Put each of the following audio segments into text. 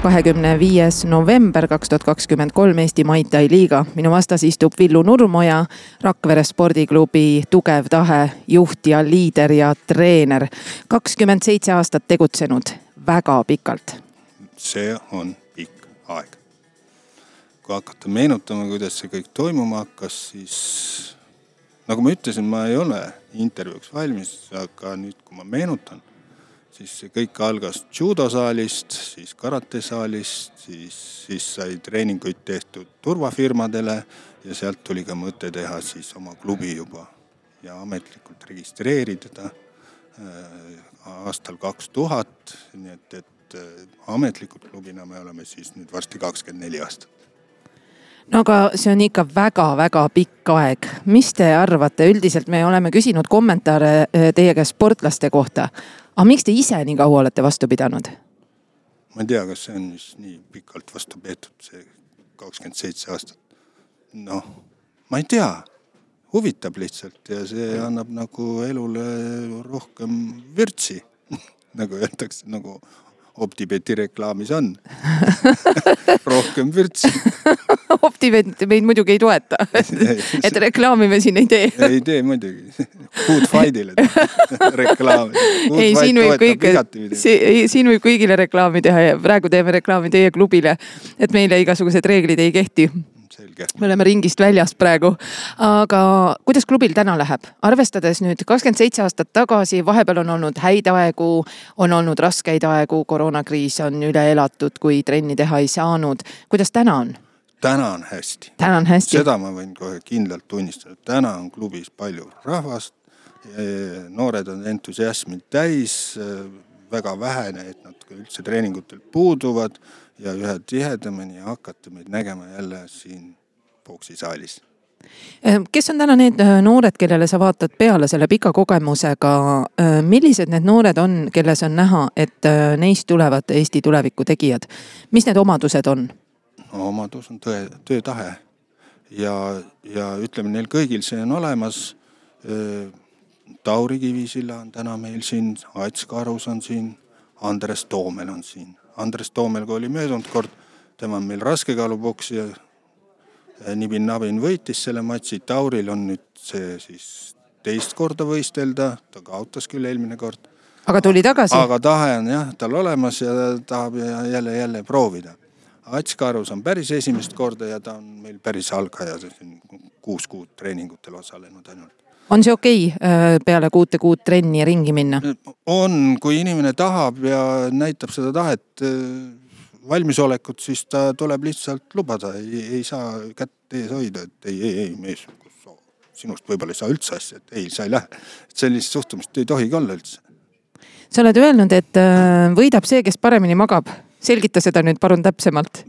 25. november 2023 Eesti Muay Thai liiga. Minu vastas istub Villu Nurmoja, Rakvere spordiklubi Tugev Tahe juht ja liider ja treener. 27 aastat tegutsenud, väga pikalt. See on pikk aeg. Kui hakata meenutama, kuidas see kõik toimuma hakkas, siis nagu ma ütlesin, ma ei ole intervjuuks valmis, aga nüüd kui ma meenutan, siis see kõik algas judosaalist, siis karatesaalist, siis sai treeninguid tehtud turvafirmadele ja sealt tuli ka mõte teha siis oma klubi juba ja ametlikult registreerida aastal 2000, nii et ametlikult klubina me oleme siis nüüd varsti 24 aastat. No aga see on ikka väga-väga pikk aeg. Mis te arvate? Üldiselt me oleme küsinud kommentaare teie käest sportlaste kohta. Aga miks te ise nii kaua olete vastu pidanud? Ma ei tea, kas see on nii pikalt vastu peetud, see 27 aastat. Noh, ma ei tea. Huvitab lihtsalt ja see annab nagu elule rohkem vürtsi, nagu öeldakse, nagu Optibeti reklaamis on. Rohkem vürtsi. Optibet meid muidugi ei toeta, et reklaami me siin ei tee. Ei tee muidugi. Good Fightile reklaami. Ei, siin võib kõigile reklaami teha ja praegu teeme reklaami teie klubile, et meile igasugused reeglid ei kehti. Selge. Me oleme ringist väljas praegu. Aga kuidas klubil täna läheb? Arvestades nüüd 27 aastat tagasi, vahepeal on olnud häid aegu, on olnud raskeid aegu, koroonakriis on üle elatud, kui trenni teha ei saanud. Kuidas täna on? Täna on hästi. Täna on hästi. Seda ma võin kohe kindlalt tunnistada. Täna on klubis palju rahvast, noored on entusiasmid täis, väga vähene, et nad üldse treeningutel puuduvad ja ühe tihedamini hakata meid nägema jälle siin boksisaalis. Kes on täna need noored, kellele sa vaatad peale selle pika kogemusega? Millised need noored on, kelles on näha, et neist tulevad Eesti tuleviku tegijad? Mis need omadused on? Omadus on töötahe ja ütleme, neil kõigil see on olemas. Tauri Kivisilla on täna meil siin, Ats Karus on siin, Andres Toomel on siin. Andres Toomel, kui oli möödunud kord, tema on meil raskekaaluboksi ja Nibin-Nabin võitis selle matsi. Tauril on nüüd see siis teist korda võistelda, ta kaotas küll eelmine kord. Aga tuli tagasi? Aga tahe on jah, tal olemas ja tahab jälle proovida. Ats Karus on päris esimest korda ja ta on meil päris algaja, 6 kuud treeningutel osalenud ainult. On see okei peale 6 kuud trenni ja ringi minna? On, kui inimene tahab ja näitab seda tahet valmisolekut, siis ta tuleb lihtsalt lubada. Ei saa kätt ees hoida, et ei, mees, sinust võib-olla ei saa üldse asja, et ei, sa ei lähe. Sellist suhtumist ei tohigi olla üldse. Sa oled öelnud, et võidab see, kes paremini magab. Selgita seda nüüd parun täpsemalt.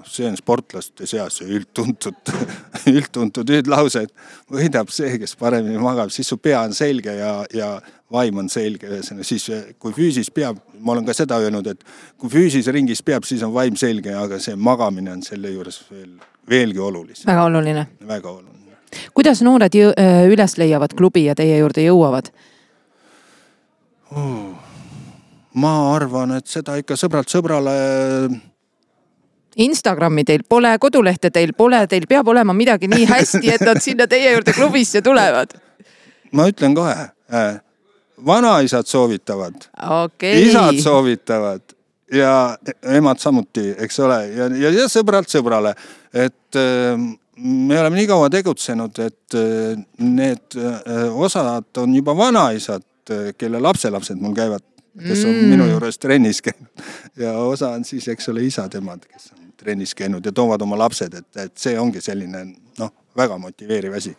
See on sportlaste seas üldtuntud lause, et võidab see, kes paremini magab, siis su pea on selge ja vaim on selge. Siis, kui füüsis peab, ma olen ka seda öelnud, et kui füüsis ringis peab, siis on vaim selge, aga see magamine on selle juures veelgi oluline. Väga oluline. Väga oluline. Kuidas noored üles leiavad klubi ja teie juurde jõuavad? Ma arvan, et seda ikka sõbralt sõbrale... Instagrami teil pole, kodulehte teil pole, teil peab olema midagi nii hästi, et nad sinna teie juurde klubisse tulevad. Ma ütlen kohe, vanaisad soovitavad, isad soovitavad ja emad samuti, eks ole, ja sõbralt sõbrale, et me oleme nii kaua tegutsenud, et need osad on juba vanaisad, kelle lapselapsed mul käivad, kes on minu juures trennis käinud ja osa on siis, eks ole, isad emad, kes on trennis käinud ja toovad oma lapsed, et see ongi selline väga motiveeriv asi.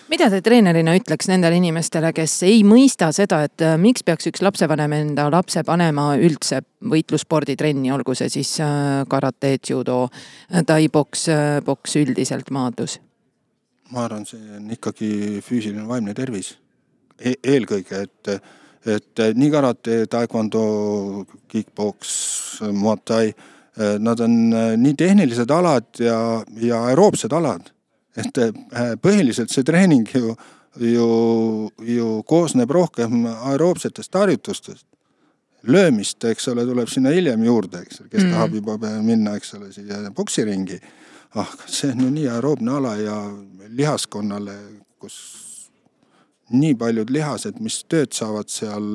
Mida te treenerina ütleks nendele inimestele, kes ei mõista seda, et miks peaks üks lapsevanem enda lapse panema üldse võitlussporditrenni, olgu see siis karate, judo, tai-boks üldiselt maadlus? Ma arvan, see on ikkagi füüsiline vaimne tervis. Eelkõige, et nii karate, taekwondo, kickboks, muay thai, nad on nii tehnilised alad ja aeroobsed alad. Et põhiliselt see treening ju koosneb rohkem aeroobsetest harjutustest. löömist, eks ole, tuleb sinna hiljem juurde, eks ole, kes tahab juba minna, eks ole, siia boksiringi. See on ju nii aeroobne ala ja lihaskonnale, kus nii paljud lihased, mis tööd saavad seal,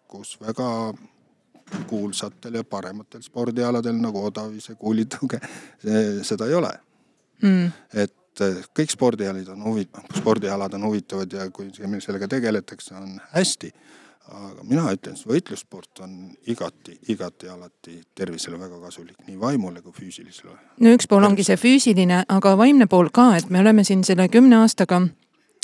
kus väga kuulsatel ja parematel spordialadel nagu odavise kuulitõuge, seda ei ole. Et kõik spordialad on huvitavad ja kui sellega tegeletakse, on hästi. Aga mina ütlen, võitlussport on igati alati tervisele väga kasulik, nii vaimule kui füüsilisele. No üks pool ongi see füüsiline, aga vaimne pool ka, et me oleme siin selle 10 aastaga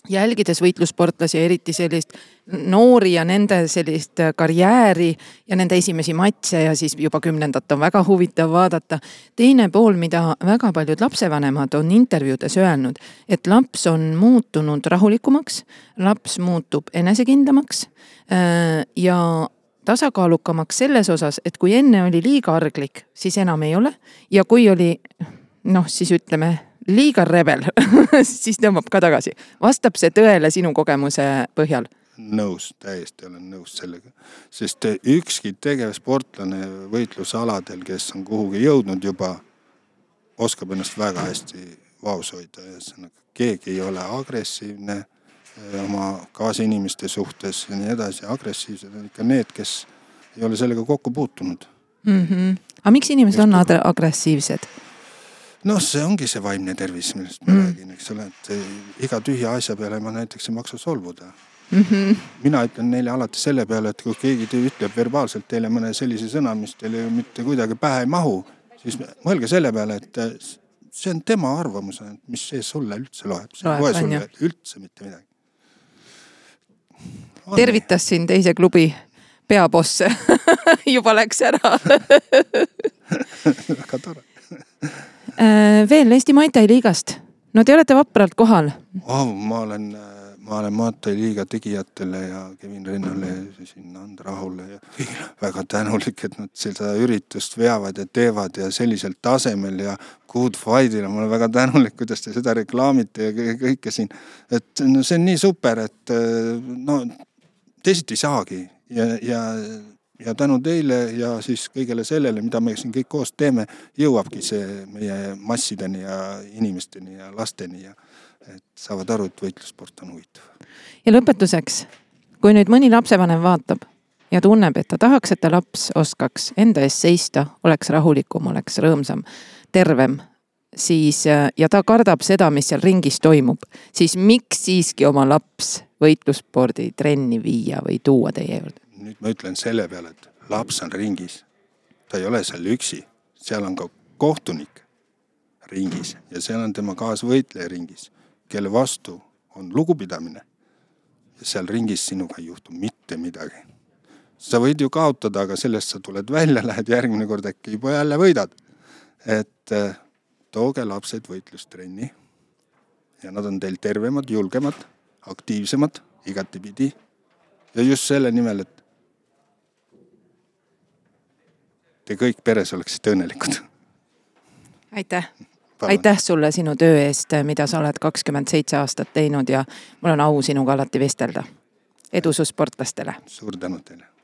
jälgides võitlussportlasi, eriti sellist noori ja nende sellist karjääri ja nende esimesi matse ja siis juba 10. on väga huvitav vaadata. Teine pool, mida väga paljud lapsevanemad on intervjuudes öelnud, et laps on muutunud rahulikumaks, laps muutub enesekindlamaks ja tasakaalukamaks selles osas, et kui enne oli liiga arglik, siis enam ei ole ja kui oli, siis ütleme, liiga rebel, siis tõmbab ka tagasi. Vastab see tõele sinu kogemuse põhjal? Täiesti olen nõus sellega. Sest ükski tegev sportlane võitlusaladel, kes on kuhugi jõudnud juba, oskab ennast väga hästi vaos hoida. Keegi ei ole agressiivne oma kaasinimeste suhtes ja nii edasi. Agressiivsed on ikka need, kes ei ole sellega kokku puutunud. Aga miks inimesed on agressiivsed? See ongi see vaimne tervis, millest ma räägin, eks ole, et iga tühja asja peale ma näiteks ei maksa solvuda. Mina ütlen neile alati selle peale, et kui keegi ütleb verbaalselt teile mõne sellise sõna, mis teile mitte kuidagi pähe ei mahu, siis mõelge selle peale, et see on tema arvamus, mis see sulle üldse loeb. See loeb sulle üldse mitte midagi. Tervitas siin teise klubi peabosse. Juba läks ära. Väga tore. Veel Eesti Muay-Thai liigast. No te olete vapralt kohal. Ma olen Muay-Thai liiga tegijatele ja Kevin Rinnale ja sinna Andrahule ja väga tänulik, et nad seda üritust veavad ja teevad ja sellisel tasemel ja good fight'ile. Ma olen väga tänulik, kuidas te seda reklaamite ja kõike siin. Et see on nii super, et teisiti ei saagi ja tänu teile ja siis kõigele sellele, mida me siin kõik koos teeme, jõuabki see meie massideni ja inimesteni ja lasteni ja et saavad aru, et võitlussport on huvitav. Ja lõpetuseks, kui nüüd mõni lapsevanem vaatab ja tunneb, et ta tahaks, et ta laps oskaks enda ees seista, oleks rahulikum, oleks rõõmsam, tervem, siis, ja ta kardab seda, mis seal ringis toimub, siis miks siiski oma laps võitlusspordi trenni viia või tuua teie juurde? Nüüd ma ütlen selle peale, et laps on ringis. Ta ei ole seal üksi. Seal on ka kohtunik ringis ja seal on tema kaasvõitleja ringis, kelle vastu on lugupidamine. Ja seal ringis sinuga ei juhtu mitte midagi. Sa võid ju kaotada, aga sellest sa tuled välja, lähed järgmine kord äkki juba jälle võidad. Et tooge lapsed võitlustrenni ja nad on teil tervemad, julgemad, aktiivsemad, igatipidi. Ja just selle nimel, et te kõik peres oleksite õnnelikud. Aitäh. Aitäh sulle sinu töö eest, mida sa oled 27 aastat teinud ja mul on au sinuga alati vestelda. Edu su sportlastele. Suur tänu teile.